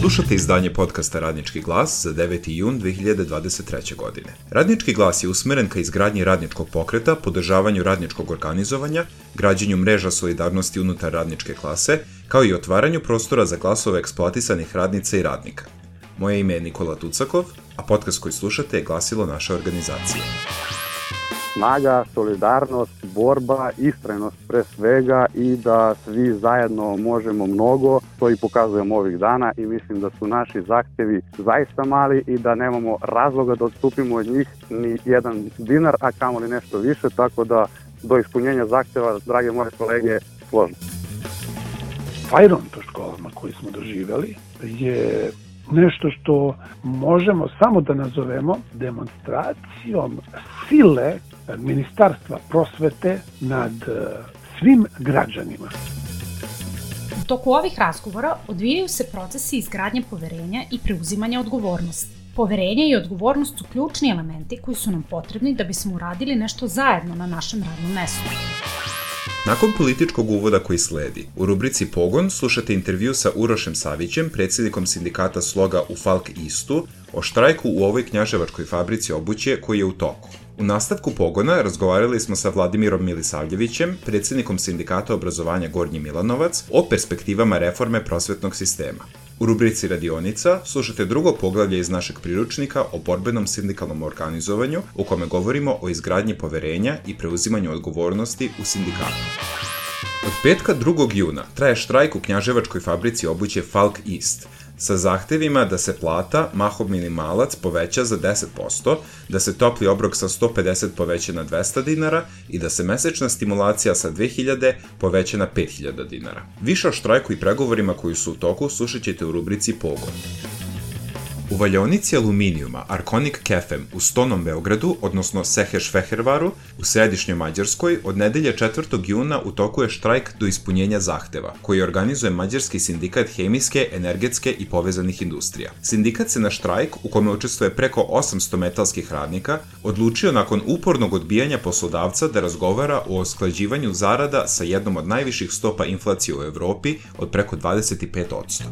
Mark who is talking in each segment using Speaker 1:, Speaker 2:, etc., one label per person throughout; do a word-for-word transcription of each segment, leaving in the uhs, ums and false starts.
Speaker 1: Slušate izdanje podcasta Radnički glas za deveti jun dve hiljade dvadeset treće. godine. Radnički glas je usmeren ka izgradnji radničkog pokreta, podržavanju radničkog organizovanja, građenju mreža solidarnosti unutar radničke klase, kao i otvaranju prostora za glasove eksploatisanih radnica i radnika. Moje ime je Nikola Tucakov, a podcast koji slušate je glasilo naše organizacije.
Speaker 2: Snaga, solidarnost, borba, istrajnost pre svega i da svi zajedno možemo mnogo, to i pokazujemo ovih dana i mislim da su naši zahtevi zaista mali i da nemamo razloga da odstupimo od njih ni jedan dinar, a kamoli nešto više, tako da do ispunjenja zahteva, drage moje kolege, složno.
Speaker 3: Fajron po školama koji smo doživjeli je nešto što možemo samo da nazovemo demonstracijom sile Ministarstva prosvete nad svim građanima.
Speaker 4: U toku ovih razgovora odvijaju se procesi izgradnje poverenja i preuzimanja odgovornosti. Poverenje i odgovornost su ključni elementi koji su nam potrebni da bismo uradili nešto zajedno na našem radnom mestu.
Speaker 1: Nakon političkog uvoda koji sledi, u rubrici Pogon slušate intervju sa Urošem Savićem, predsjednikom sindikata Sloga u Falk Istu, o štrajku u ovoj knjaževačkoj fabrici obuće koji je u toku. U nastavku Pogona razgovarali smo sa Vladimirom Milisavljevićem, predsjednikom sindikata obrazovanja Gornji Milanovac, o perspektivama reforme prosvetnog sistema. U rubrici Radionica slušate drugo poglavlje iz našeg priručnika o borbenom sindikalnom organizovanju, u kome govorimo o izgradnji poverenja i preuzimanju odgovornosti u sindikatu. Od petka drugog juna traje štrajk u knjaževačkoj fabrici obuće Falk East, sa zahtevima da se plata, mahom minimalac, poveća za deset posto, da se topli obrok sa sto pedeset poveća na dvesta dinara i da se mesečna stimulacija sa dve hiljade poveća na pet hiljada dinara. Više o štrajku i pregovorima koji su u toku slušat ćete u rubrici Pogon. U valjaonici aluminijuma Arkonik Kefem u Stonom Beogradu, odnosno Seheš Fehervaru, u središnjoj Mađarskoj, od nedelje četvrtog juna u toku je štrajk do ispunjenja zahteva, koji organizuje Mađarski sindikat hemijske, energetske i povezanih industrija. Sindikat se na štrajk, u kome učestvuje preko osamsto metalskih radnika, odlučio nakon upornog odbijanja poslodavca da razgovara o usklađivanju zarada sa jednom od najviših stopa inflacije u Evropi od preko dvadeset pet posto.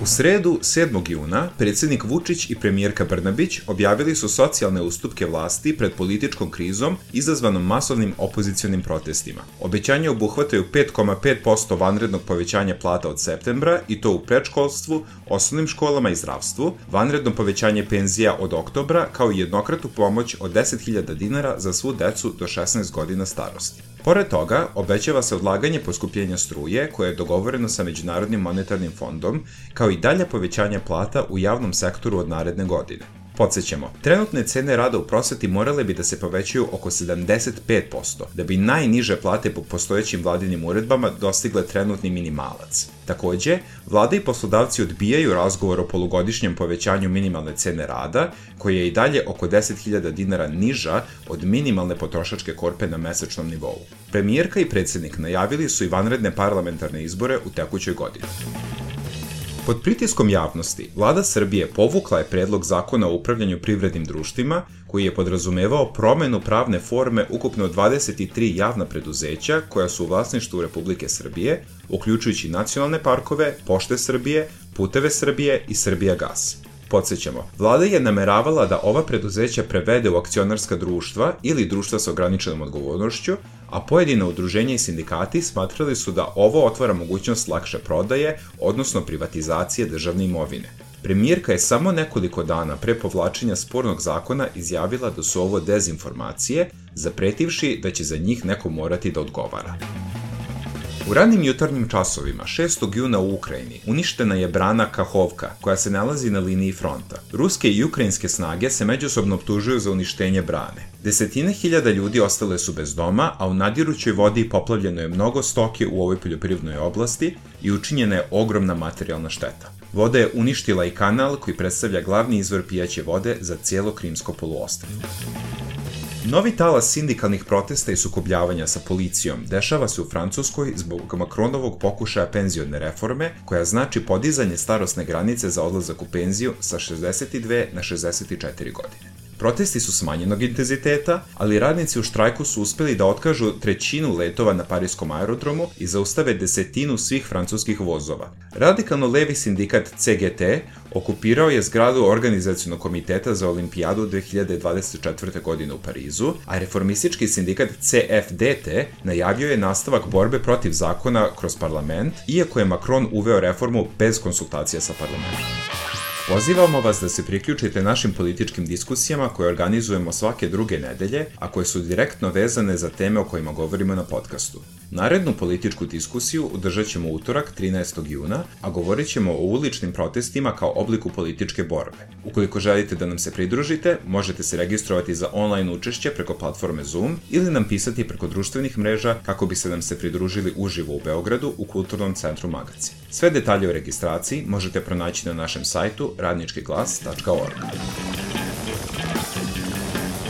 Speaker 1: U sredu, sedmog juna, predsjednik Vučić i premijerka Brnabić objavili su socijalne ustupke vlasti pred političkom krizom izazvanom masovnim opozicionim protestima. Obećanja obuhvataju pet zarez pet posto vanrednog povećanja plata od septembra i to u predškolstvu, osnovnim školama i zdravstvu, vanredno povećanje penzija od oktobra kao i jednokratnu pomoć od deset hiljada dinara za svu decu do šesnaest godina starosti. Pored toga, obećava se odlaganje poskupljenja struje koje je dogovoreno sa Međunarodnim monetarnim fondom, kao i dalje povećanje plata u javnom sektoru od naredne godine. Podsjećamo, trenutne cene rada u prosveti morale bi da se povećaju oko sedamdeset pet posto, da bi najniže plate po postojećim vladinim uredbama dostigle trenutni minimalac. Takođe, vlada i poslodavci odbijaju razgovor o polugodišnjem povećanju minimalne cene rada, koja je i dalje oko deset hiljada dinara niža od minimalne potrošačke korpe na mesečnom nivou. Premijerka i predsjednik najavili su i vanredne parlamentarne izbore u tekućoj godini. Pod pritiskom javnosti, Vlada Srbije povukla je predlog zakona o upravljanju privrednim društvima, koji je podrazumevao promenu pravne forme ukupno dvadeset tri javna preduzeća koja su u vlasništvu Republike Srbije, uključujući nacionalne parkove, Pošte Srbije, Puteve Srbije i Srbijagas. Podsjećamo, vlada je nameravala da ova preduzeća prevede u akcionarska društva ili društva sa ograničenom odgovornošću, a pojedina udruženja i sindikati smatrali su da ovo otvara mogućnost lakše prodaje, odnosno privatizacije državne imovine. Premijerka je samo nekoliko dana pre povlačenja spornog zakona izjavila da su ovo dezinformacije, zapretivši da će za njih neko morati da odgovara. U ranim jutarnjim časovima, šestog juna u Ukrajini, uništena je brana Kahovka, koja se nalazi na liniji fronta. Ruske i ukrajinske snage se međusobno optužuju za uništenje brane. Desetine hiljada ljudi ostale su bez doma, a u nadirućoj vodi poplavljeno je mnogo stoke u ovoj poljoprivrednoj oblasti i učinjena je ogromna materijalna šteta. Voda je uništila i kanal koji predstavlja glavni izvor pijaće vode za cijelo Krimsko poluostrvo. Novi talas sindikalnih protesta i sukobljavanja sa policijom dešava se u Francuskoj zbog Macronovog pokušaja penzione reforme, koja znači podizanje starosne granice za odlazak u penziju sa šezdeset dve na šezdeset četiri godine. Protesti su smanjenog intenziteta, ali radnici u štrajku su uspeli da otkažu trećinu letova na pariskom aerodromu i zaustave desetinu svih francuskih vozova. Radikalno levi sindikat C G T okupirao je zgradu Organizacionog komiteta za olimpijadu dve hiljade dvadeset četvrte. godine u Parizu, a reformistički sindikat C F D T najavio je nastavak borbe protiv zakona kroz parlament, iako je Macron uveo reformu bez konsultacija sa parlamentom. Pozivamo vas da se priključite našim političkim diskusijama koje organizujemo svake druge nedelje, a koje su direktno vezane za teme o kojima govorimo na podcastu. Narednu političku diskusiju održat ćemo utorak trinaestog juna, a govorit ćemo o uličnim protestima kao obliku političke borbe. Ukoliko želite da nam se pridružite, možete se registrovati za online učešće preko platforme Zoom ili nam pisati preko društvenih mreža kako biste nam se pridružili uživo u Beogradu u Kulturnom centru Magacin. Sve detalje o registraciji možete pronaći na našem sajtu radnički glas tačka org.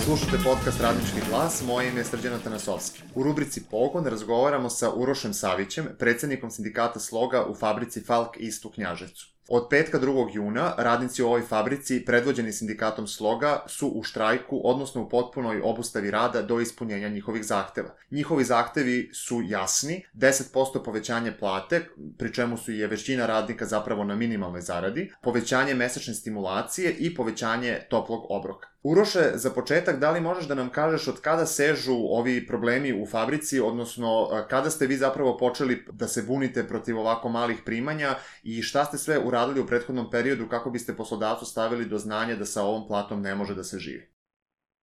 Speaker 5: Slušate podcast Radnički glas, moje ime je Srđan Atanasovski. U rubrici Pogon razgovaramo sa Urošem Savićem, predsjednikom sindikata Sloga u fabrici Falk East u Knjaževcu. Od petka drugog juna radnici u ovoj fabrici, predvođeni sindikatom Sloga, su u štrajku, odnosno u potpunoj obustavi rada do ispunjenja njihovih zahteva. Njihovi zahtevi su jasni, deset posto povećanje plate, pri čemu su je većina radnika zapravo na minimalnoj zaradi, povećanje mesečne stimulacije i povećanje toplog obroka. Uroše, za početak, da li možeš da nam kažeš od kada sežu ovi problemi u fabrici, odnosno kada ste vi zapravo počeli da se bunite protiv ovako malih primanja i šta ste sve uradili u prethodnom periodu kako biste poslodavcu stavili do znanja da sa ovom platom ne može da se živi?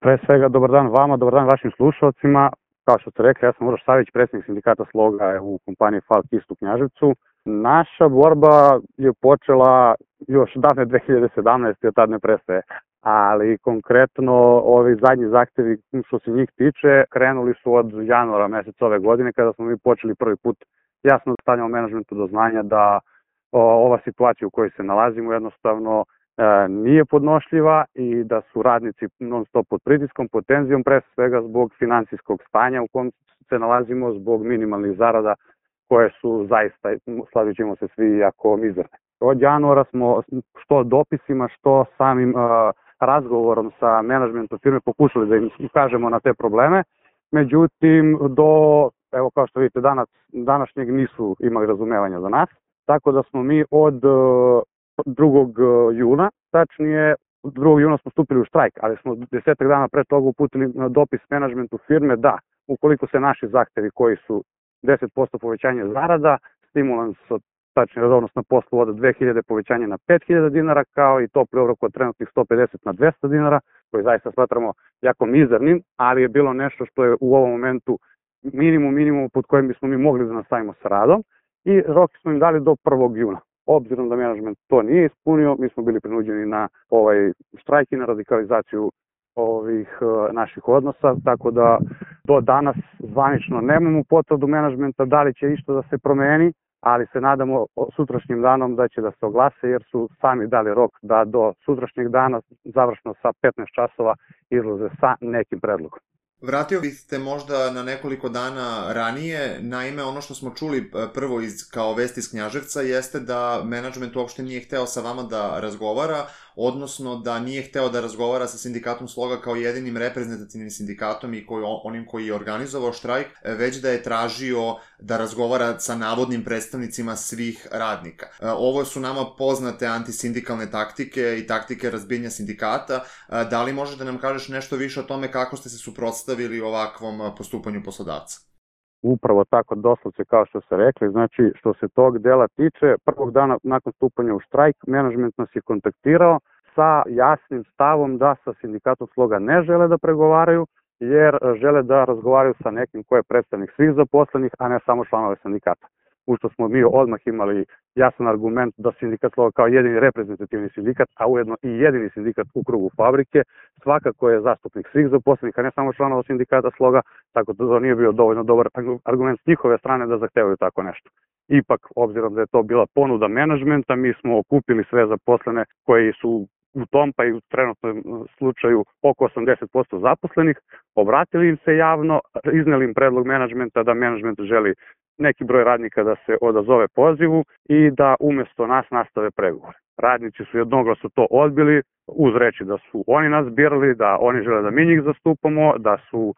Speaker 2: Pre svega, dobar dan vama, dobar dan vašim slušalcima. Kao što ste rekli, ja sam Uroš Savić, predsjednik sindikata Sloga u kompaniji Falk East u Knjaževcu. Naša borba je počela još davne dve hiljade sedamnaeste. od tad ne prestaje. Ali konkretno ovi zadnji zahtevi što se njih tiče krenuli su od januara meseca ove godine kada smo mi počeli prvi put jasno da stavljamo menadžmentu do znanja da o, ova situacija u kojoj se nalazimo jednostavno e, nije podnošljiva i da su radnici non stop pod pritiskom, pod tenzijom, pre svega zbog finansijskog stanja u kom se nalazimo, zbog minimalnih zarada koje su zaista, slavit ćemo se svi, jako mizerne. Od januara smo što dopisima, što samim uh, razgovorom sa menadžmentom firme pokušali da im ukažemo na te probleme. Međutim, do, evo kao što vidite, danas, današnjeg nisu imali razumevanja za nas. Tako da smo mi od uh, drugog juna, tačnije drugog juna smo stupili u štrajk, ali smo desetak dana pre toga uputili dopis menadžmentu firme da, ukoliko se naši zahtevi koji su deset posto povećanje zarada, stimulans od tačnije redovnost na poslu od dve hiljade povećanje na pet hiljada dinara, kao i topli obrok od trenutnih sto pedeset na dvesta dinara, koji zaista smatramo jako mizernim, ali je bilo nešto što je u ovom momentu minimum minimum pod kojim bismo mi mogli da nastavimo sa radom i rok smo im dali do prvog juna. Obzirom da menadžment to nije ispunio, mi smo bili prinuđeni na ovaj štrajk i na radikalizaciju ovih uh, naših odnosa, tako da do danas zvanično nemamo potvrdu menadžmenta da li će išta da se promeni, ali se nadamo sutrašnjim danom da će da se oglase jer su sami dali rok da do sutrašnjeg dana završno sa petnaest časova izlaze sa nekim predlogom.
Speaker 5: Vratio bih te možda na nekoliko dana ranije, naime ono što smo čuli prvo iz, kao vest iz Knjaževca jeste da menadžment uopšte nije hteo sa vama da razgovara, odnosno da nije hteo da razgovara sa sindikatom Sloga kao jedinim reprezentativnim sindikatom i koji, onim koji je organizovao štrajk, već da je tražio da razgovara sa navodnim predstavnicima svih radnika. Ovo su nama poznate antisindikalne taktike i taktike razbijanja sindikata. Da li možeš da nam kažeš nešto više o tome kako ste se suprotstavili ovakvom postupanju poslodavca?
Speaker 2: Upravo tako, doslovce kao što ste rekli, znači što se tog dela tiče, prvog dana nakon stupanja u štrajk, menadžment nas je kontaktirao sa jasnim stavom da sa sindikatom Sloga ne žele da pregovaraju, jer žele da razgovaraju sa nekim ko je predstavnik svih zaposlenih, a ne samo članove sindikata. U što smo mi odmah imali jasan argument da sindikat Sloga kao jedini reprezentativni sindikat, a ujedno i jedini sindikat u krugu fabrike, svakako je zastupnik svih zaposlenih, a ne samo članova sindikata Sloga, tako da to nije bio dovoljno dobar argument s njihove strane da zahtevaju tako nešto. Ipak, obzirom da je to bila ponuda menadžmenta, mi smo okupili sve zaposlene koji su u tom, pa i u trenutnom slučaju oko osamdeset posto zaposlenih, obratili im se javno, izneli im predlog menadžmenta da menadžment želi neki broj radnika da se odazove pozivu i da umesto nas nastave pregovore. Radnici su jednoglasno to odbili, uz reći da su oni nas birali, da oni žele da mi njih zastupamo, da su uh,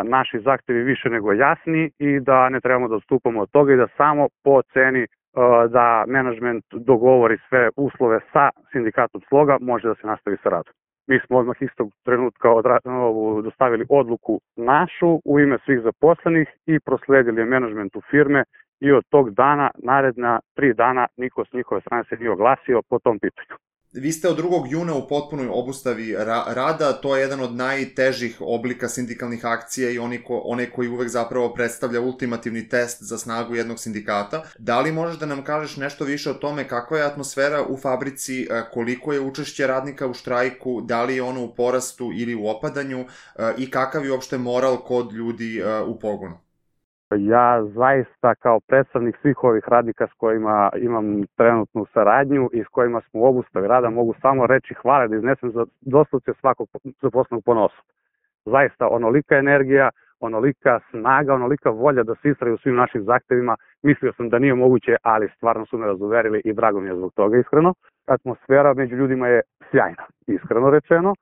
Speaker 2: naši zahtevi više nego jasni i da ne trebamo da odstupamo od toga i da samo po ceni uh, da menadžment dogovori sve uslove sa sindikatom Sloga može da se nastavi sa radom. Mi smo odmah istog trenutka odra- dostavili odluku našu u ime svih zaposlenih i prosledili je menadžmentu firme i od tog dana, naredna tri dana, niko s njihove strane se nije oglasio po tom pitanju.
Speaker 5: Vi ste od drugog juna u potpunoj obustavi ra- rada, to je jedan od najtežih oblika sindikalnih akcija i oni ko, one koji uvek zapravo predstavlja ultimativni test za snagu jednog sindikata. Da li možeš da nam kažeš nešto više o tome kakva je atmosfera u fabrici, koliko je učešće radnika u štrajku, da li je ono u porastu ili u opadanju i kakav je uopšte moral kod ljudi u pogonu?
Speaker 2: Ja zaista kao predstavnik svih ovih radnika s kojima imam trenutnu saradnju i s kojima smo u obustavi rada mogu samo reći hvale da iznesem za doslovce svakog zaposlenog ponosa. Zaista onolika energija, onolika snaga, onolika volja da se istraju svim našim zahtevima. Mislio sam da nije moguće, ali stvarno su me razuverili i drago mi je zbog toga iskreno. Atmosfera među ljudima je sjajna, iskreno rečeno.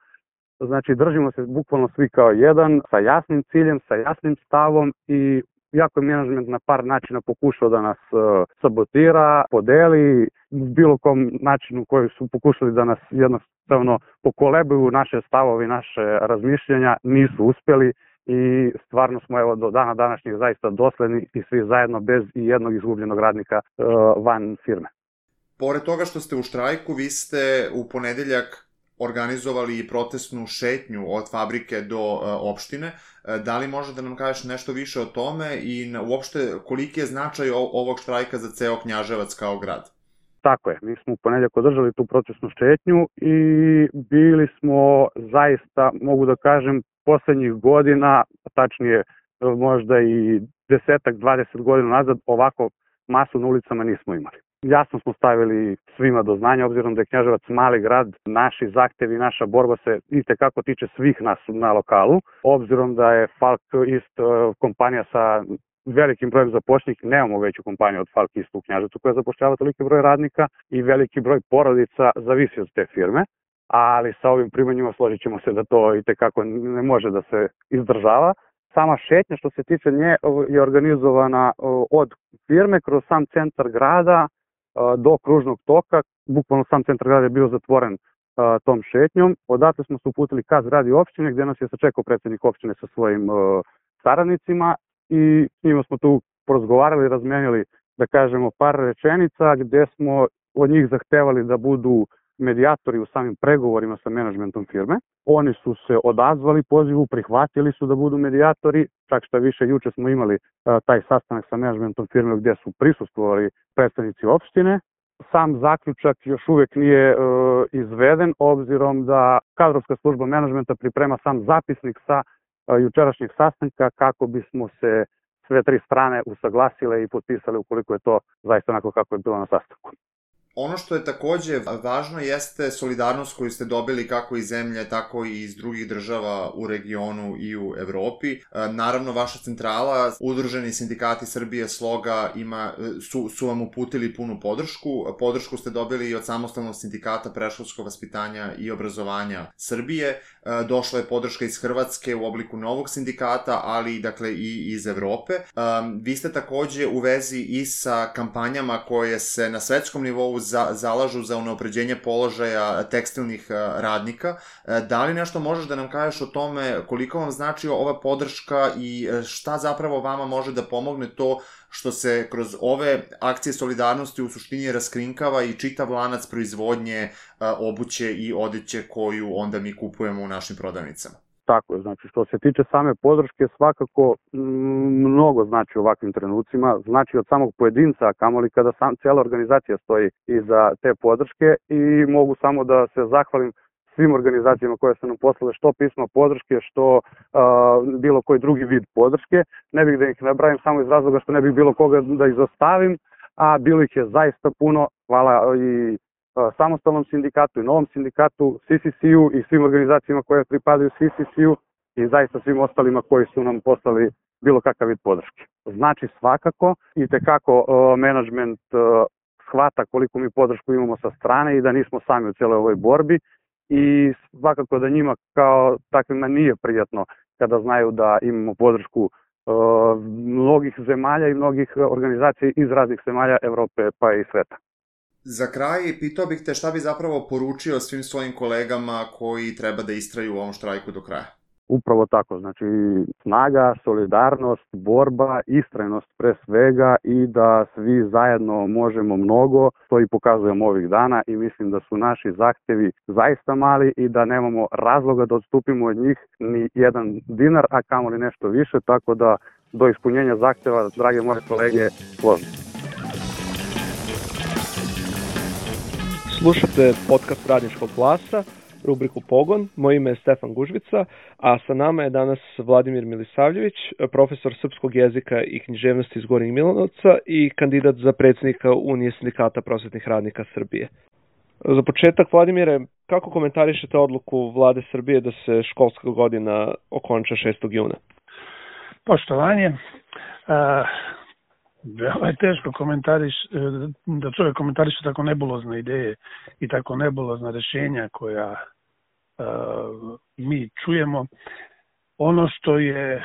Speaker 2: Znači držimo se bukvalno svi kao jedan, sa jasnim ciljem, sa jasnim stavom i jako je menadžment na par načina pokušao da nas uh, sabotira, podeli, bilo kom načinu koji su pokušali da nas jednostavno pokolebuju naše stavove i naše razmišljanja, nisu uspjeli i stvarno smo evo do dana današnjeg zaista dosledni i svi zajedno bez i jednog izgubljenog radnika uh, van firme.
Speaker 5: Pored toga što ste u štrajku, vi ste u ponedeljak organizovali i protestnu šetnju od fabrike do uh, opštine. Da li može da nam kažeš nešto više o tome i na, uopšte koliki je značaj o, ovog štrajka za ceo Knjaževac kao grad?
Speaker 2: Tako je, mi smo u ponedjeljak održali tu protestnu šetnju i bili smo zaista, mogu da kažem, poslednjih godina, tačnije možda i desetak, dvadeset godina nazad, ovako masu na ulicama nismo imali. Jasno smo stavili svima do znanja, obzirom da je Knjaževac mali grad, naši zahtevi, naša borba se itekako tiče svih nas na lokalu, obzirom da je Falk East kompanija sa velikim brojem zaposlenih, nemamo veću kompaniju od Falk East u Knjaževcu koja zapošljava toliki broj radnika i veliki broj porodica zavisi od te firme, ali sa ovim primanjima složit ćemo se da to itekako ne može da se izdržava. Sama šetnja što se tiče nje je organizovana od firme kroz sam centar grada do kružnog toka, bukvalno sam centar grada je bio zatvoren uh, tom šetnjom. Odatle smo se uputili ka zgradi opštine gdje nas je sačekao predsjednik opštine sa svojim uh, saradnicima i s njima smo tu porazgovarali, razmenili, da kažemo, par rečenica gdje smo od njih zahtevali da budu medijatori u samim pregovorima sa menadžmentom firme. Oni su se odazvali pozivu, prihvatili su da budu medijatori, čak šta više juče smo imali uh, taj sastanak sa menadžmentom firme gdje su prisustvovali predstavnici opštine. Sam zaključak još uvijek nije uh, izveden, obzirom da kadrovska služba menadžmenta priprema sam zapisnik sa uh, jučerašnjeg sastanka kako bismo se sve tri strane usaglasile i potpisale ukoliko je to zaista onako kako je bilo na sastanku.
Speaker 5: Ono što je takođe važno jeste solidarnost koju ste dobili kako iz zemlje, tako i iz drugih država u regionu i u Evropi. Naravno, vaša centrala, Udruženi sindikati Srbije Sloga, ima, su, su vam uputili punu podršku. Podršku ste dobili i od Samostalnog sindikata predškolskog vaspitanja i obrazovanja Srbije. Došla je podrška iz Hrvatske u obliku novog sindikata, ali dakle i iz Evrope. Vi ste takođe u vezi i sa kampanjama koje se na svetskom nivou Za, zalažu za unapređenje položaja tekstilnih radnika. Da li nešto možeš da nam kažeš o tome koliko vam znači ova podrška i šta zapravo vama može da pomogne to što se kroz ove akcije solidarnosti u suštini raskrinkava i čitav lanac proizvodnje obuće i odeće koju onda mi kupujemo u našim prodavnicama?
Speaker 2: Tako je, znači što se tiče same podrške svakako m, mnogo znači u ovakvim trenucima, znači od samog pojedinca, a kamoli kada sam, cijela organizacija stoji iza te podrške i mogu samo da se zahvalim svim organizacijama koje su nam poslale što pismo podrške, što uh, bilo koji drugi vid podrške. Ne bih da ih nabrajim samo iz razloga što ne bih bilo koga da izostavim, a bilo ih je zaista puno. Hvala i Samostalnom sindikatu i Novom sindikatu, C C C-u i svim organizacijama koje pripadaju C C C-u i zaista svim ostalima koji su nam poslali bilo kakav vid podrške. Znači svakako i tekako uh, menadžment uh, shvata koliko mi podršku imamo sa strane i da nismo sami u cijeloj ovoj borbi i svakako da njima kao takvima nije prijatno kada znaju da imamo podršku uh, mnogih zemalja i mnogih organizacija iz raznih zemalja Evrope pa i sveta.
Speaker 5: Za kraj, pitao bih te šta bi zapravo poručio svim svojim kolegama koji treba da istraju u ovom štrajku do kraja?
Speaker 2: Upravo tako, znači snaga, solidarnost, borba, istrajnost pre svega i da svi zajedno možemo mnogo, to i pokazujemo ovih dana i mislim da su naši zahtevi zaista mali i da nemamo razloga da odstupimo od njih ni jedan dinar, a kamoli nešto više, tako da do ispunjenja zahteva, drage moje kolege, složno.
Speaker 6: Slušate podcast Radničkog glasa, rubriku Pogon. Moje ime je Stefan Gužvica, a sa nama je danas Vladimir Milisavljević, profesor srpskog jezika i književnosti iz Gornjeg Milanovca i kandidat za predsjednika Unije sindikata prosvetnih radnika Srbije. Za početak, Vladimire, kako komentarišete odluku Vlade Srbije da se školska godina okonča šestog juna?
Speaker 3: Poštovanje, uh... veoma je teško komentariš, da čovjek komentariše tako nebulozne ideje i tako nebulozna rješenja koja uh, mi čujemo. Ono što je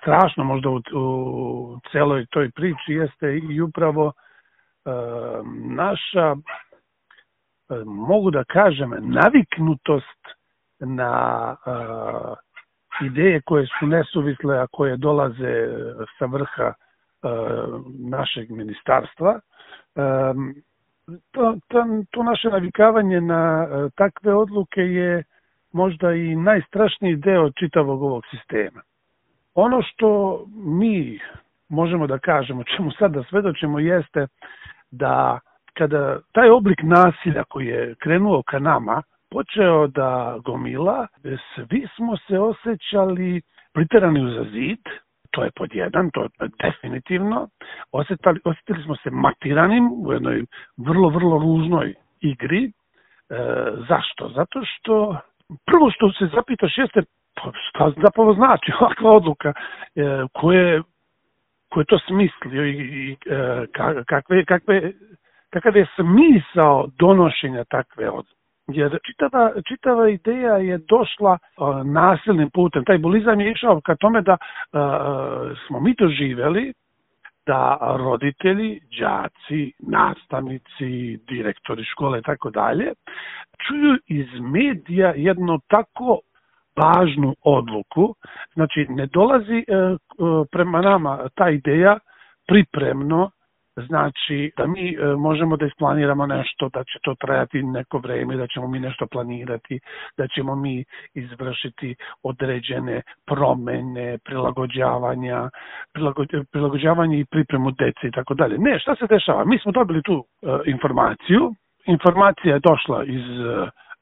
Speaker 3: strašno možda u, u celoj toj priči jeste i upravo uh, naša, uh, mogu da kažem, naviknutost na uh, ideje koje su nesuvisle, a koje dolaze sa vrha našeg ministarstva. To, to, to naše navikavanje na takve odluke je možda i najstrašniji deo čitavog ovog sistema. Ono što mi možemo da kažemo, čemu sad da svedočimo, jeste da kada taj oblik nasilja koji je krenuo ka nama počeo da gomila, svi smo se osjećali priterani uza zid. To je pod jedan, to je definitivno. Osjetili, osjetili smo se matiranim u jednoj vrlo, vrlo ružnoj igri. E, zašto? Zato što prvo što se zapitaš jeste šta zapravo znači ovakva odluka, e, koje, koje to smislio i, i e, kakve, kakve, kakav je smisao donošenja takve odluke. Jer čitava, čitava ideja je došla uh, nasilnim putem. Taj bulizam je išao ka tome da uh, smo mi doživjeli da roditelji, đaci, nastavnici, direktori škole i tako dalje čuju iz medija jednu tako važnu odluku. Znači, ne dolazi uh, prema nama ta ideja pripremno, znači da mi e, možemo da isplaniramo nešto, da će to trajati neko vreme, da ćemo mi nešto planirati, da ćemo mi izvršiti određene promene, prilagođavanja, prilago, prilagođavanje i pripremu dece i tako dalje. Ne, šta se dešava? Mi smo dobili tu e, informaciju, informacija je došla iz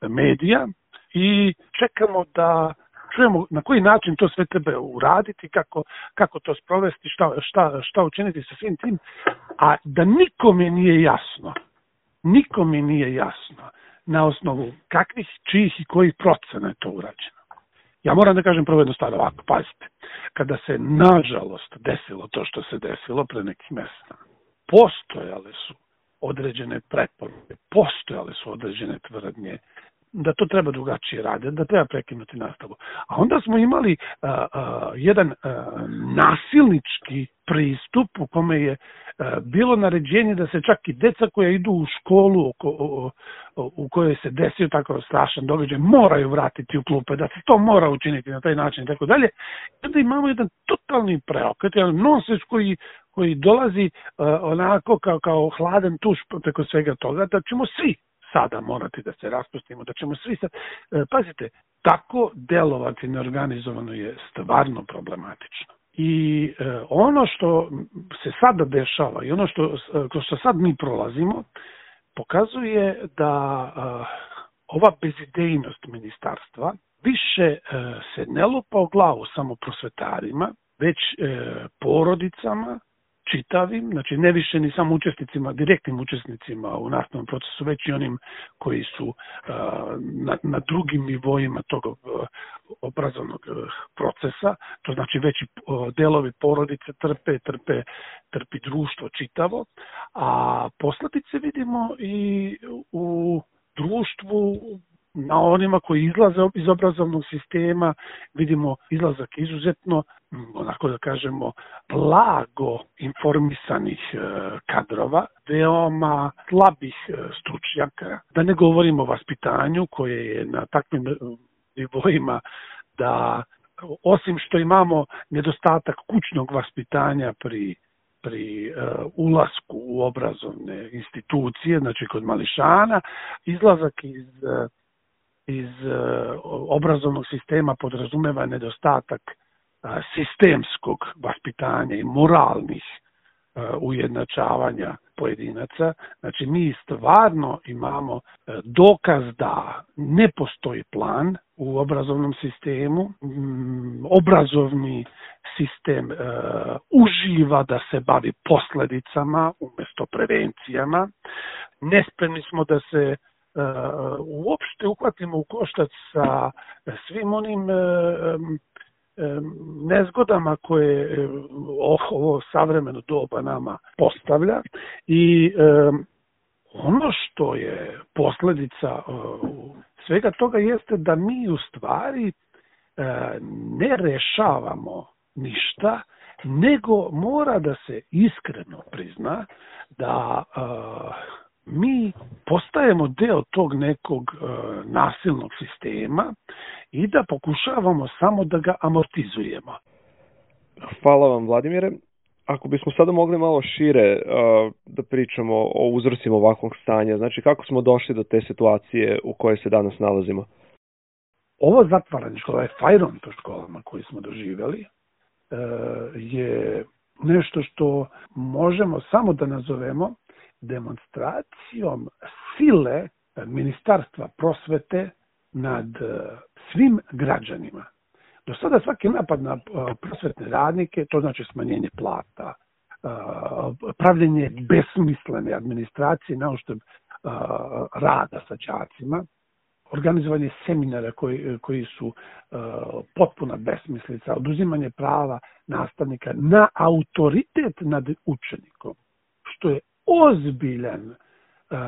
Speaker 3: e, medija i čekamo da čujemo na koji način to sve treba uraditi, kako, kako to sprovesti, šta, šta, šta učiniti sa svim tim, a da nikome nije jasno, nikome nije jasno na osnovu kakvih, čijih i kojih procena je to urađeno. Ja moram da kažem prvo jednu stvar ovako, pazite, kada se nažalost desilo to što se desilo pre nekih mjeseci, postojale su određene preporuke, postojale su određene tvrdnje, da to treba drugačije raditi, da treba prekinuti nastavu. A onda smo imali uh, uh, jedan uh, nasilnički pristup u kome je uh, bilo naređenje da se čak i deca koja idu u školu u, u, u kojoj se desio tako strašan događaj moraju vratiti u klupe, da se to mora učiniti na taj način i tako dalje. I onda imamo jedan totalni preokret, jedan nonsens koji, koji dolazi uh, onako kao, kao hladan tuš preko svega toga, da ćemo svi sada morati da se raspustimo, da ćemo svi sad... Pazite, tako delovati neorganizovano je stvarno problematično. I e, ono što se sada dešava i ono što, što sad mi prolazimo, pokazuje da e, ova bezidejnost ministarstva više e, se ne lupa u glavu samo prosvetarima, već e, porodicama, čitavim, znači ne više ni samo učesnicima, direktnim učesnicima u nastavnom procesu, već i onim koji su uh, na, na drugim nivoima tog uh, obrazovnog uh, procesa, to znači veći uh, delovi porodice trpe, trpe, trpi društvo čitavo, a posledice vidimo i u društvu na onima koji izlaze iz obrazovnog sistema, vidimo izlazak izuzetno, onako da kažemo, blago informisanih kadrova, veoma slabih stručnjaka, da ne govorimo o vaspitanju koje je na takvim nivoima da osim što imamo nedostatak kućnog vaspitanja pri pri uh, ulasku u obrazovne institucije, znači kod mališana, izlazak iz, uh, iz uh, obrazovnog sistema podrazumeva nedostatak uh, sistemskog vaspitanja i moralnih uh, ujednačavanja pojedinaca. Znači mi stvarno imamo uh, dokaz da ne postoji plan u obrazovnom sistemu. Mm, obrazovni sistem uh, uživa da se bavi posledicama umjesto prevencijama. Nespremni smo da se uh, uopšte uhvatimo u koštac sa svim onim uh, um, nezgodama koje uh, ovo savremeno doba nama postavlja i um, ono što je posljedica uh, svega toga jeste da mi u stvari uh, ne rešavamo ništa, nego mora da se iskreno prizna da uh, mi postajemo deo tog nekog uh, nasilnog sistema i da pokušavamo samo da ga amortizujemo.
Speaker 6: Hvala vam, Vladimire. Ako bismo sada mogli malo šire uh, da pričamo o uzrocima ovakvog stanja, znači kako smo došli do te situacije u kojoj se danas nalazimo?
Speaker 3: Ovo zatvaranje škola, ovaj fajron po školama koji smo doživjeli, je nešto što možemo samo da nazovemo demonstracijom sile Ministarstva prosvete nad svim građanima. Do sada svaki napad na prosvetne radnike, to znači smanjenje plata, pravljenje besmislene administracije na uštrb rada sa đacima, organizovanje seminara koji, koji su uh, potpuna besmislica, oduzimanje prava nastavnika na autoritet nad učenikom, što je ozbiljan uh,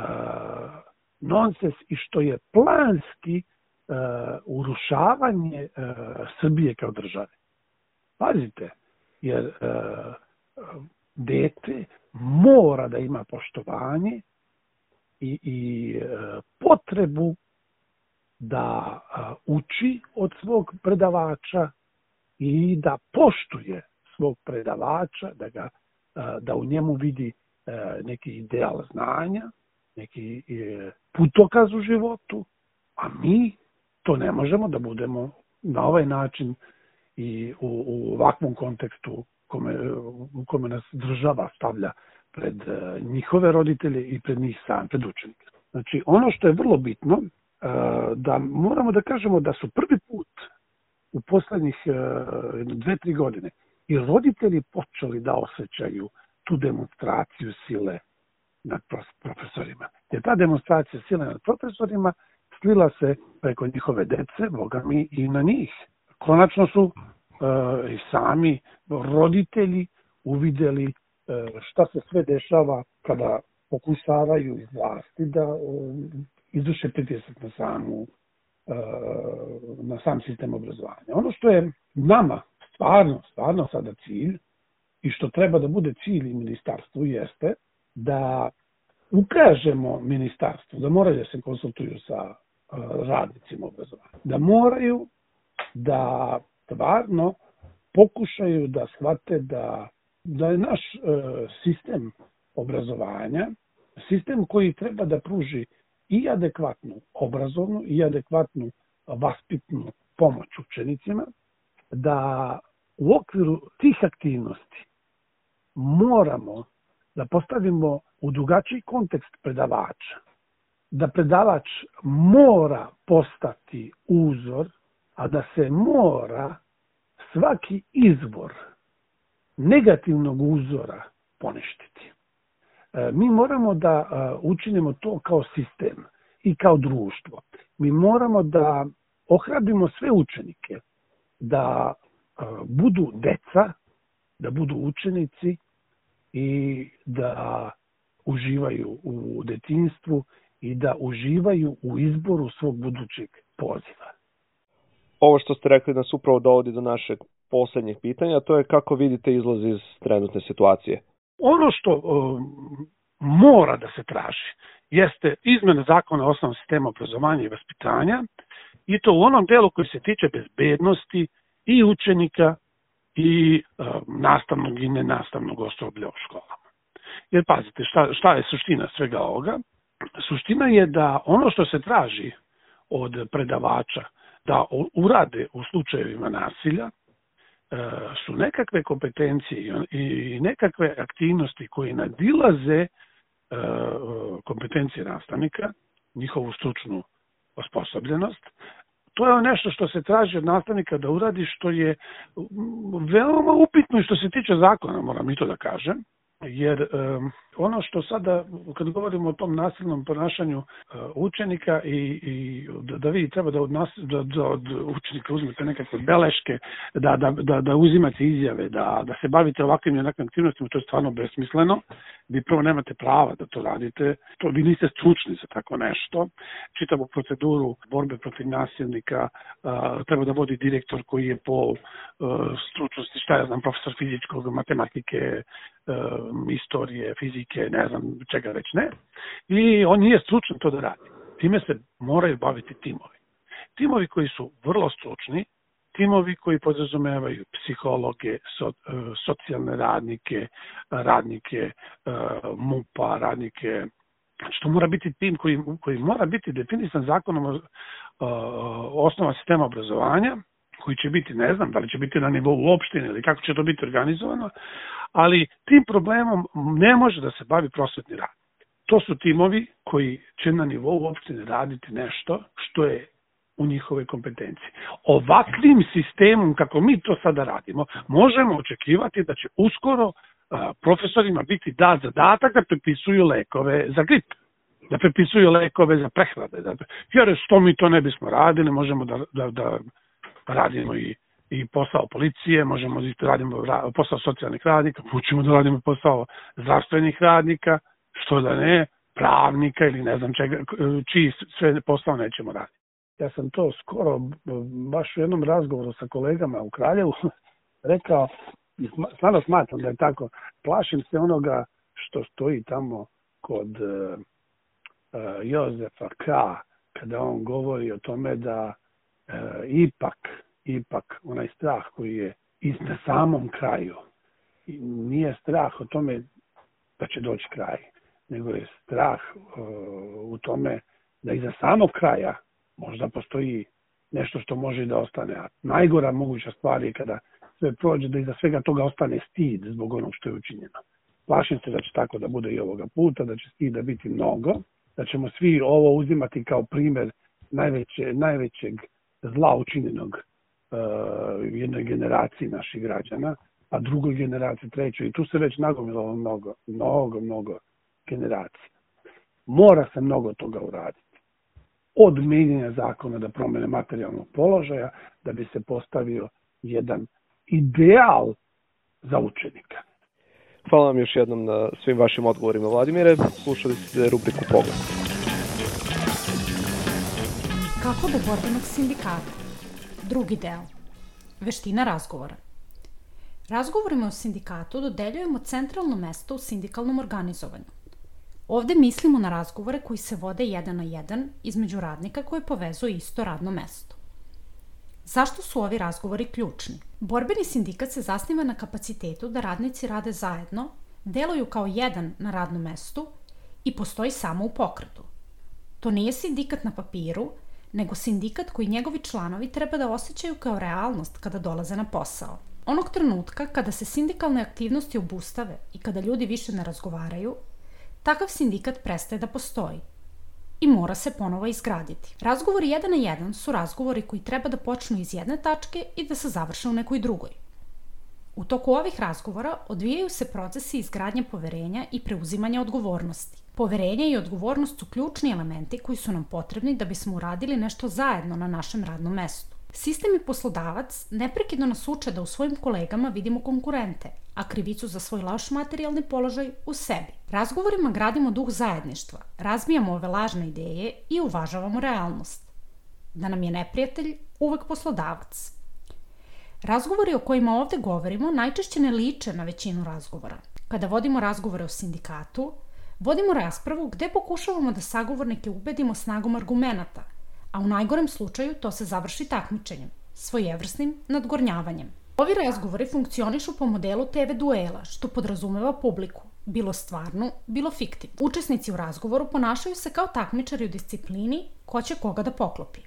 Speaker 3: nonsens i što je planski uh, urušavanje uh, Srbije kao države. Pazite, jer uh, dete mora da ima poštovanje i, i uh, potrebu da uh, uči od svog predavača i da poštuje svog predavača, da, ga, uh, da u njemu vidi uh, neki ideal znanja, neki uh, putokaz u životu, a mi to ne možemo da budemo na ovaj način i u, u ovakvom kontekstu kome, u kome nas država stavlja pred uh, njihove roditelje i pred njih sam, pred učenike. Znači, ono što je vrlo bitno, da moramo da kažemo da su prvi put u poslednjih dve, tri godine i roditelji počeli da osjećaju tu demonstraciju sile nad profesorima. Jer ta demonstracija sile nad profesorima slila se preko njihove dece, boga mi, i na njih. Konačno su uh, i sami roditelji uvideli uh, šta se sve dešava kada pokušavaju iz vlasti da uh, izvrše pritisak na samu na sam sistem obrazovanja. Ono što je nama stvarno, stvarno sada cilj i što treba da bude cilj i ministarstvu jeste da ukažemo ministarstvu da moraju da se konsultuju sa radnicima obrazovanja. Da moraju da stvarno pokušaju da shvate da, da je naš sistem obrazovanja sistem koji treba da pruži i adekvatnu obrazovnu i adekvatnu vaspitnu pomoć učenicima, da u okviru tih aktivnosti moramo da postavimo u drugačiji kontekst predavača, da predavač mora postati uzor, a da se mora svaki izvor negativnog uzora poništiti. Mi moramo da učinimo to kao sistem i kao društvo. Mi moramo da ohrabrimo sve učenike da budu deca, da budu učenici i da uživaju u detinjstvu i da uživaju u izboru svog budućeg poziva.
Speaker 6: Ovo što ste rekli nas upravo dovodi do našeg posljednjeg pitanja, to je kako vidite izlaz iz trenutne situacije.
Speaker 3: Ono što uh, mora da se traži jeste izmena zakona o osnovnom sistemu obrazovanja i vaspitanja i to u onom delu koji se tiče bezbednosti i učenika i uh, nastavnog i nenastavnog osoblja u školama. Jer pazite, šta, šta je suština svega ovoga? Suština je da ono što se traži od predavača da urade u slučajevima nasilja su nekakve kompetencije i nekakve aktivnosti koje nadilaze kompetencije nastavnika, njihovu stručnu osposobljenost. To je nešto što se traži od nastavnika da uradi, što je veoma upitno i što se tiče zakona, moram i to da kažem. Jer um, ono što sada, kad govorimo o tom nasilnom ponašanju uh, učenika i, i da, da vi treba da od, nas, da, da od učenika uzmete nekakve beleške, da, da, da, da uzimate izjave, da, da se bavite ovakvim i onakvim aktivnostima, to je stvarno besmisleno. Vi prvo nemate prava da to radite, to, vi niste stručni za tako nešto. Čitavu proceduru borbe protiv nasilnika uh, treba da vodi direktor koji je po uh, stručnosti, šta ja znam, profesor fizičkog, matematike, uh, istorije, fizike, ne znam čega već ne. I on nije stručan to da radi. Time se moraju baviti timovi. Timovi koji su vrlo stručni, timovi koji podrazumevaju psihologe, so, socijalne radnike, radnike M U P-a, radnike, znači to mora biti tim koji, koji mora biti definisan zakonom o, o osnova sistema obrazovanja, koji će biti, ne znam, da li će biti na nivou opštine ili kako će to biti organizovano, ali tim problemom ne može da se bavi prosvetni radnik. To su timovi koji će na nivou opštine raditi nešto što je u njihove kompetencije. Ovakvim sistemom, kako mi to sada radimo, možemo očekivati da će uskoro a, profesorima biti dat zadatak da prepisuju lekove za grip, da prepisuju lekove za prehlade. Da, jer što mi to ne bismo radili, možemo da, da, da radimo i, i posao policije, možemo da radimo posao socijalnih radnika, učimo da radimo posao zdravstvenih radnika, što da ne, pravnika ili ne znam čega, čiji sve posao nećemo raditi. Ja sam to skoro, baš u jednom razgovoru sa kolegama u Kraljevu, rekao, i stvarno smatram da je tako, plašim se onoga što stoji tamo kod uh, Jozefa K. kada on govori o tome da uh, ipak, ipak onaj strah koji je i na samom kraju, nije strah o tome da će doći kraj, nego je strah uh, u tome da iza samog kraja možda postoji nešto što može da ostane. A najgora moguća stvar je kada sve prođe da iza svega toga ostane stid zbog onog što je učinjeno. Plašim se da će tako da bude i ovoga puta, da će stida biti mnogo, da ćemo svi ovo uzimati kao primjer najveće, najvećeg zla učinjenog uh, jednoj generaciji naših građana, a drugoj generaciji, trećoj. I tu se već nagomilalo mnogo, mnogo, mnogo generacija. Mora se mnogo toga uraditi. Od mijenjanja zakona da promene materijalnog položaja, da bi se postavio jedan ideal za učenika.
Speaker 6: Hvala vam još jednom na svim vašim odgovorima, Vladimire. Slušali ste rubriku Pogled.
Speaker 4: Kako do borbenog sindikata? Drugi deo. Veština razgovora. Razgovorima o sindikatu dodeljujemo centralno mesto u sindikalnom organizovanju. Ovde mislimo na razgovore koji se vode jedan na jedan između radnika koje povezuje isto radno mesto. Zašto su ovi razgovori ključni? Borbeni sindikat se zasniva na kapacitetu da radnici rade zajedno, deluju kao jedan na radnom mestu i postoji samo u pokretu. To nije sindikat na papiru, nego sindikat koji njegovi članovi treba da osjećaju kao realnost kada dolaze na posao. Onog trenutka kada se sindikalne aktivnosti obustave i kada ljudi više ne razgovaraju, takav sindikat prestaje da postoji i mora se ponovo izgraditi. Razgovori jedan na jedan su razgovori koji treba da počnu iz jedne tačke i da se završe u nekoj drugoj. U toku ovih razgovora odvijaju se procesi izgradnje poverenja i preuzimanja odgovornosti. Poverenje i odgovornost su ključni elementi koji su nam potrebni da bismo uradili nešto zajedno na našem radnom mestu. Sistem i poslodavac neprekidno nas uče da u svojim kolegama vidimo konkurente, a krivicu za svoj loš materijalni položaj u sebi. Razgovorima gradimo duh zajedništva, razbijamo ove lažne ideje i uvažavamo realnost. Da nam je neprijatelj uvek poslodavac. Razgovori o kojima ovde govorimo najčešće ne liče na većinu razgovora. Kada vodimo razgovore o sindikatu, vodimo raspravu gde pokušavamo da sagovornike ubedimo snagom argumenata, a u najgorem slučaju to se završi takmičenjem, svojevrsnim nadgornjavanjem. Ovi razgovori funkcionišu po modelu te ve duela, što podrazumeva publiku, bilo stvarnu, bilo fiktivnu. Učesnici u razgovoru ponašaju se kao takmičari u disciplini ko će koga da poklopi.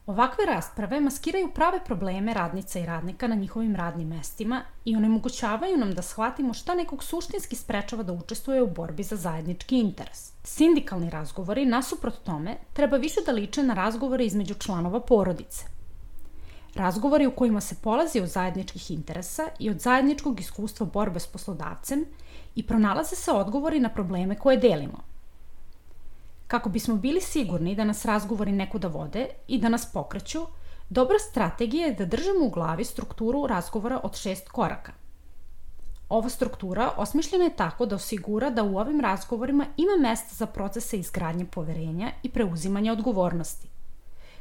Speaker 4: Ovakve rasprave maskiraju prave probleme radnica i radnika na njihovim radnim mestima i onemogućavaju nam da shvatimo šta nekog suštinski sprečava da učestvuje u borbi za zajednički interes. Sindikalni razgovori, nasuprot tome, treba više da liče na razgovore između članova porodice. Razgovori u kojima se polazi od zajedničkih interesa i od zajedničkog iskustva borbe s poslodavcem i pronalaze se odgovori na probleme koje delimo. Kako bismo bili sigurni da nas razgovori nekuda vode i da nas pokreću, dobra strategija je da držimo u glavi strukturu razgovora od šest koraka. Ova struktura osmišljena je tako da osigura da u ovim razgovorima ima mesta za procese izgradnje poverenja i preuzimanja odgovornosti,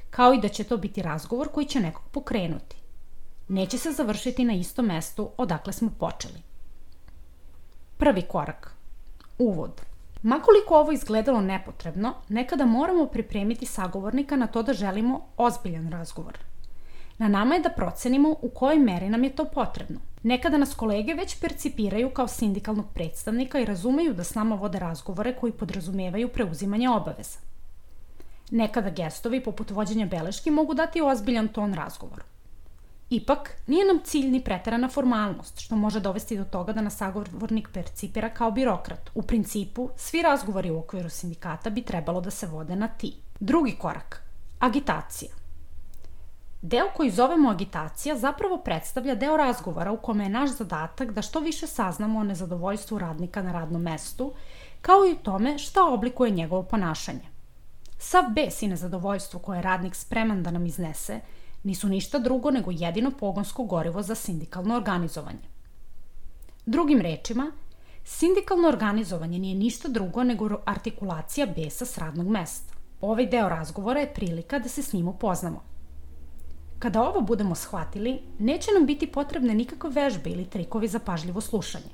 Speaker 4: kao i da će to biti razgovor koji će nekog pokrenuti. Neće se završiti na istom mestu odakle smo počeli. Prvi korak. Uvod. Makoliko ovo izgledalo nepotrebno, nekada moramo pripremiti sagovornika na to da želimo ozbiljan razgovor. Na nama je da procenimo u kojoj meri nam je to potrebno. Nekada nas kolege već percipiraju kao sindikalnog predstavnika i razumeju da s nama vode razgovore koji podrazumevaju preuzimanje obaveza. Nekada gestovi poput vođenja beleški mogu dati ozbiljan ton razgovoru. Ipak, nije nam cilj ni preterana formalnost, što može dovesti do toga da nas sagovornik percipira kao birokrat. U principu, svi razgovori u okviru sindikata bi trebalo da se vode na ti. Drugi korak. Agitacija. Deo koji zovemo agitacija zapravo predstavlja deo razgovora u kome je naš zadatak da što više saznamo o nezadovoljstvu radnika na radnom mestu, kao i u tome šta oblikuje njegovo ponašanje. Sav bes i nezadovoljstvo koje je radnik spreman da nam iznese nisu ništa drugo nego jedino pogonsko gorivo za sindikalno organizovanje. Drugim rečima, sindikalno organizovanje nije ništa drugo nego artikulacija besa s radnog mesta. Ovaj deo razgovora je prilika da se s njim upoznamo. Kada ovo budemo shvatili, neće nam biti potrebne nikakve vežbe ili trikovi za pažljivo slušanje.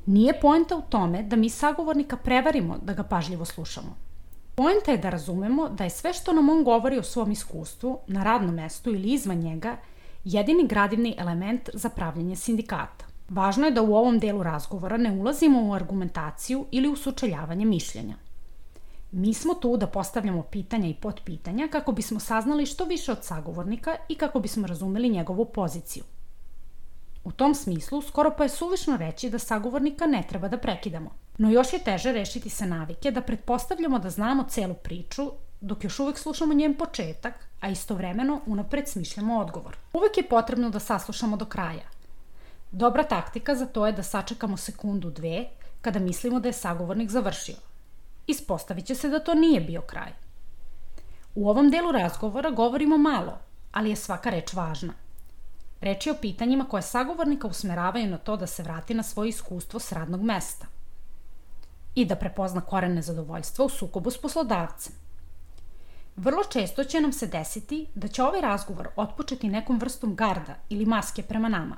Speaker 4: Nije poenta u tome da mi sagovornika prevarimo da ga pažljivo slušamo. Poenta je da razumemo da je sve što nam on govori o svom iskustvu, na radnom mestu ili izvan njega, jedini gradivni element za pravljenje sindikata. Važno je da u ovom delu razgovora ne ulazimo u argumentaciju ili u sučeljavanje mišljenja. Mi smo tu da postavljamo pitanja i potpitanja kako bismo saznali što više od sagovornika i kako bismo razumeli njegovu poziciju. U tom smislu, skoro pa je suvišno reći da sagovornika ne treba da prekidamo. No još je teže rešiti se navike da pretpostavljamo da znamo celu priču, dok još uvek slušamo njen početak, a istovremeno unapred smišljamo odgovor. Uvek je potrebno da saslušamo do kraja. Dobra taktika za to je da sačekamo sekundu, dve, kada mislimo da je sagovornik završio. Ispostavit će se da to nije bio kraj. U ovom delu razgovora govorimo malo, ali je svaka reč važna. Reč je o pitanjima koje sagovornika usmeravaju na to da se vrati na svoje iskustvo s radnog mesta i da prepozna koren nezadovoljstva u sukobu s poslodavcem. Vrlo često će nam se desiti da će ovaj razgovor otpočeti nekom vrstom garda ili maske prema nama.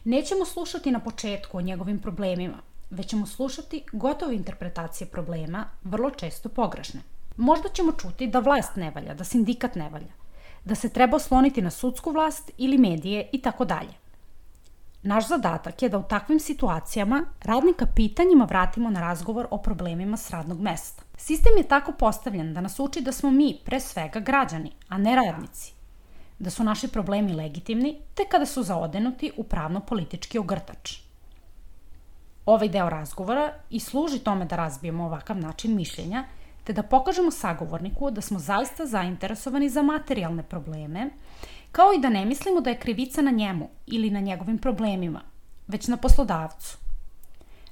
Speaker 4: Nećemo slušati na početku o njegovim problemima, već ćemo slušati gotove interpretacije problema, vrlo često pogrešne. Možda ćemo čuti da vlast ne valja, da sindikat ne valja, da se treba osloniti na sudsku vlast ili medije i tako dalje. Naš zadatak je da u takvim situacijama radnika pitanjima vratimo na razgovor o problemima s radnog mesta. Sistem je tako postavljen da nas uči da smo mi, pre svega, građani, a ne radnici. Da su naši problemi legitimni, te kada su zaodenuti u pravno-politički ogrtač. Ovaj deo razgovora i služi tome da razbijemo ovakav način mišljenja, te da pokažemo sagovorniku da smo zaista zainteresovani za materijalne probleme, kao i da ne mislimo da je krivica na njemu ili na njegovim problemima, već na poslodavcu.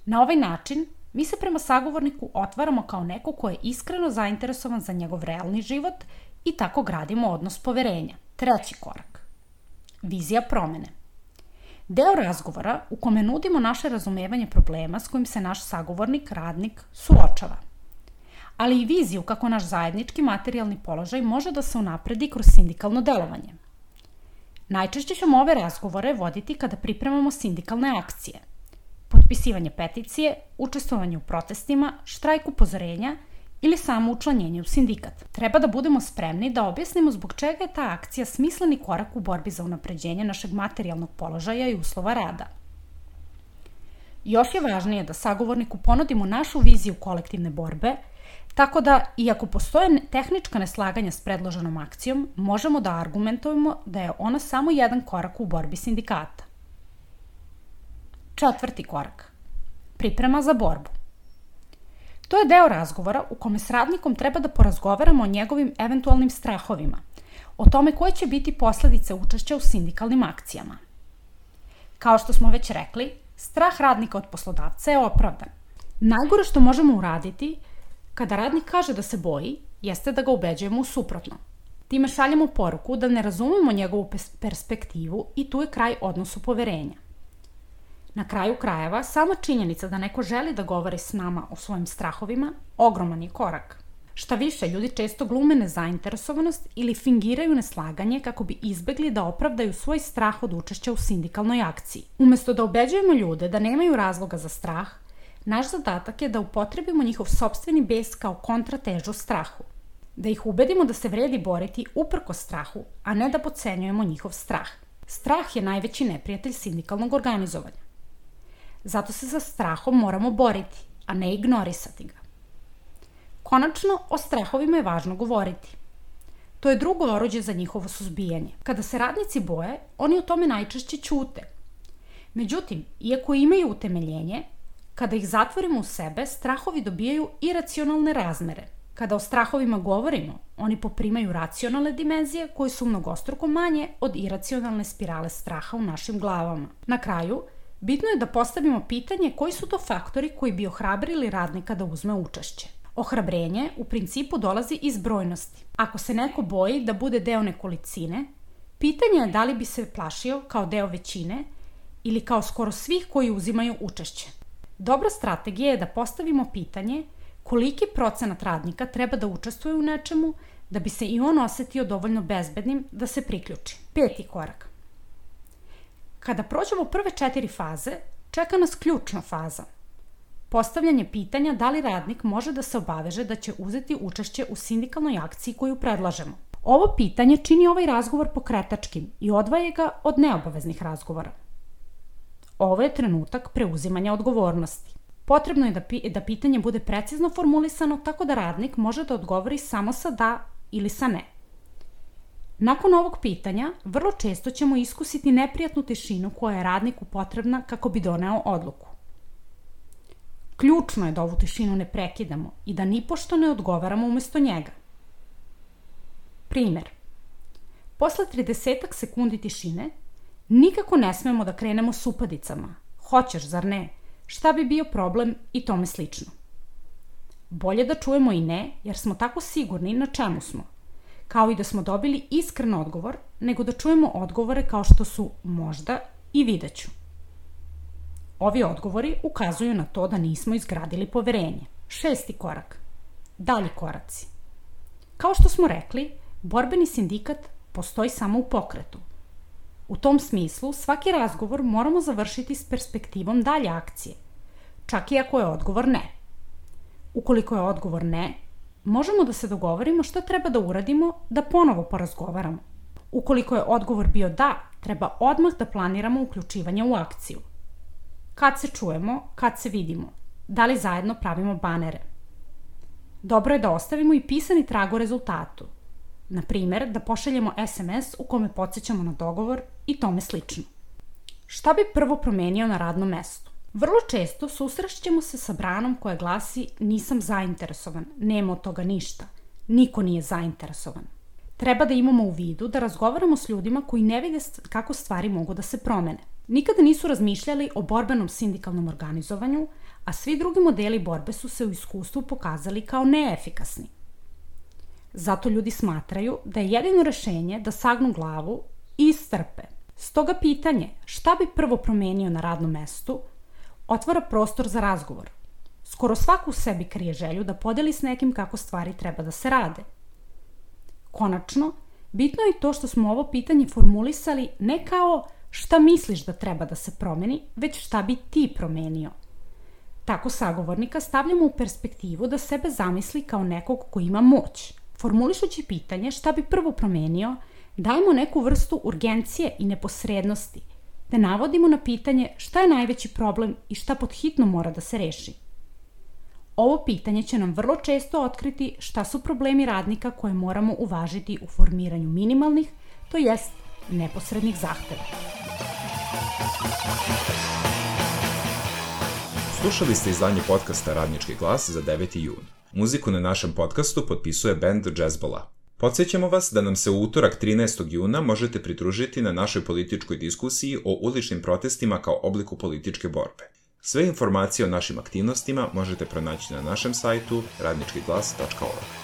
Speaker 4: Na ovaj način, mi se prema sagovorniku otvaramo kao neko ko je iskreno zainteresovan za njegov realni život i tako gradimo odnos poverenja. Treći korak. Vizija promene. Deo razgovora u kome nudimo naše razumevanje problema s kojim se naš sagovornik, radnik, suočava. Ali i viziju kako naš zajednički materijalni položaj može da se unapredi kroz sindikalno delovanje. Najčešće ćemo ove razgovore voditi kada pripremamo sindikalne akcije. Potpisivanje peticije, učestvovanje u protestima, štrajk upozorenja ili samo učlanjenje u sindikat. Treba da budemo spremni da objasnimo zbog čega je ta akcija smisleni korak u borbi za unapređenje našeg materijalnog položaja i uslova rada. Još je važnije da sagovorniku ponudimo našu viziju kolektivne borbe, tako da, iako postoje tehnička neslaganja s predloženom akcijom, možemo da argumentujemo da je ona samo jedan korak u borbi sindikata. Četvrti korak. Priprema za borbu. To je deo razgovora u kome s radnikom treba da porazgovaramo o njegovim eventualnim strahovima, o tome koje će biti posledice učešća u sindikalnim akcijama. Kao što smo već rekli, strah radnika od poslodavca je opravdan. Najgore što možemo uraditi kada radnik kaže da se boji, jeste da ga ubeđujemo u suprotno. Time šaljemo poruku da ne razumemo njegovu perspektivu i tu je kraj odnosu poverenja. Na kraju krajeva, sama činjenica da neko želi da govori s nama o svojim strahovima, ogroman je korak. Šta više, ljudi često glume nezainteresovanost ili fingiraju neslaganje kako bi izbegli da opravdaju svoj strah od učešća u sindikalnoj akciji. Umesto da ubeđujemo ljude da nemaju razloga za strah, naš zadatak je da upotrebimo njihov sopstveni bes kao kontratežu strahu. Da ih ubedimo da se vredi boriti uprkos strahu, a ne da podcenjujemo njihov strah. Strah je najveći neprijatelj sindikalnog organizovanja. Zato se sa strahom moramo boriti, a ne ignorisati ga. Konačno, o strahovima je važno govoriti. To je drugo oruđe za njihovo suzbijanje. Kada se radnici boje, oni o tome najčešće ćute. Međutim, iako imaju utemeljenje, kada ih zatvorimo u sebe, strahovi dobijaju iracionalne razmere. Kada o strahovima govorimo, oni poprimaju racionalne dimenzije koje su mnogostruko manje od iracionalne spirale straha u našim glavama. Na kraju, bitno je da postavimo pitanje koji su to faktori koji bi ohrabrili radnika da uzme učešće. Ohrabrenje u principu dolazi iz brojnosti. Ako se neko boji da bude deo nekolicine, pitanje je da li bi se plašio kao deo većine ili kao skoro svih koji uzimaju učešće. Dobra strategija je da postavimo pitanje koliki procenat radnika treba da učestvuje u nečemu da bi se i on osetio dovoljno bezbednim da se priključi. Peti korak. Kada prođemo prve četiri faze, čeka nas ključna faza. Postavljanje pitanja da li radnik može da se obaveže da će uzeti učešće u sindikalnoj akciji koju predlažemo. Ovo pitanje čini ovaj razgovor pokretačkim i odvaja ga od neobaveznih razgovora. Ovo je trenutak preuzimanja odgovornosti. Potrebno je da, pi- da pitanje bude precizno formulisano tako da radnik može da odgovori samo sa da ili sa ne. Nakon ovog pitanja, vrlo često ćemo iskusiti neprijatnu tišinu koja je radniku potrebna kako bi doneo odluku. Ključno je da ovu tišinu ne prekidamo i da nipošto ne odgovaramo umesto njega. Primer. Posle tridesetak sekundi tišine, nikako ne smemo da krenemo s upadicama. Hoćeš, zar ne? Šta bi bio problem i tome slično. Bolje da čujemo i ne, jer smo tako sigurni na čemu smo. Kao i da smo dobili iskren odgovor, nego da čujemo odgovore kao što su možda i videću. Ovi odgovori ukazuju na to da nismo izgradili poverenje. Šesti korak. Dalji koraci. Kao što smo rekli, borbeni sindikat postoji samo u pokretu. U tom smislu, svaki razgovor moramo završiti s perspektivom dalje akcije, čak i ako je odgovor ne. Ukoliko je odgovor ne, možemo da se dogovorimo šta treba da uradimo da ponovo porazgovaramo. Ukoliko je odgovor bio da, treba odmah da planiramo uključivanje u akciju. Kad se čujemo, kad se vidimo, da li zajedno pravimo banere. Dobro je da ostavimo i pisani trag o rezultatu. Na primer, da pošaljemo es em es u kome podsjećamo na dogovor i tome slično. Šta bi prvo promenio na radnom mestu? Vrlo često susrećemo se sa branom koja glasi nisam zainteresovan, nema od toga ništa, niko nije zainteresovan. Treba da imamo u vidu da razgovaramo s ljudima koji ne vide kako stvari mogu da se promene. Nikada nisu razmišljali o borbenom sindikalnom organizovanju, a svi drugi modeli borbe su se u iskustvu pokazali kao neefikasni. Zato ljudi smatraju da je jedino rešenje da sagnu glavu i istrpe. Stoga pitanje šta bi prvo promenio na radnom mestu otvara prostor za razgovor. Skoro svako u sebi krije želju da podeli s nekim kako stvari treba da se rade. Konačno, bitno je i to što smo ovo pitanje formulisali ne kao šta misliš da treba da se promeni, već šta bi ti promenio. Tako sagovornika stavljamo u perspektivu da sebe zamisli kao nekog ko ima moć. Formulišući pitanje šta bi prvo promenio, dajemo neku vrstu urgencije i neposrednosti, te navodimo na pitanje šta je najveći problem i šta pod hitno mora da se reši. Ovo pitanje će nam vrlo često otkriti šta su problemi radnika koje moramo uvažiti u formiranju minimalnih, to jest neposrednih zahteva.
Speaker 1: Slušali ste izdanje podcasta Radnički glas za deveti jun. Muziku na našem podcastu potpisuje band Jazzbola. Podsjećamo vas da nam se u utorak trinaestog juna možete pridružiti na našoj političkoj diskusiji o uličnim protestima kao obliku političke borbe. Sve informacije o našim aktivnostima možete pronaći na našem sajtu radnički glas tačka org.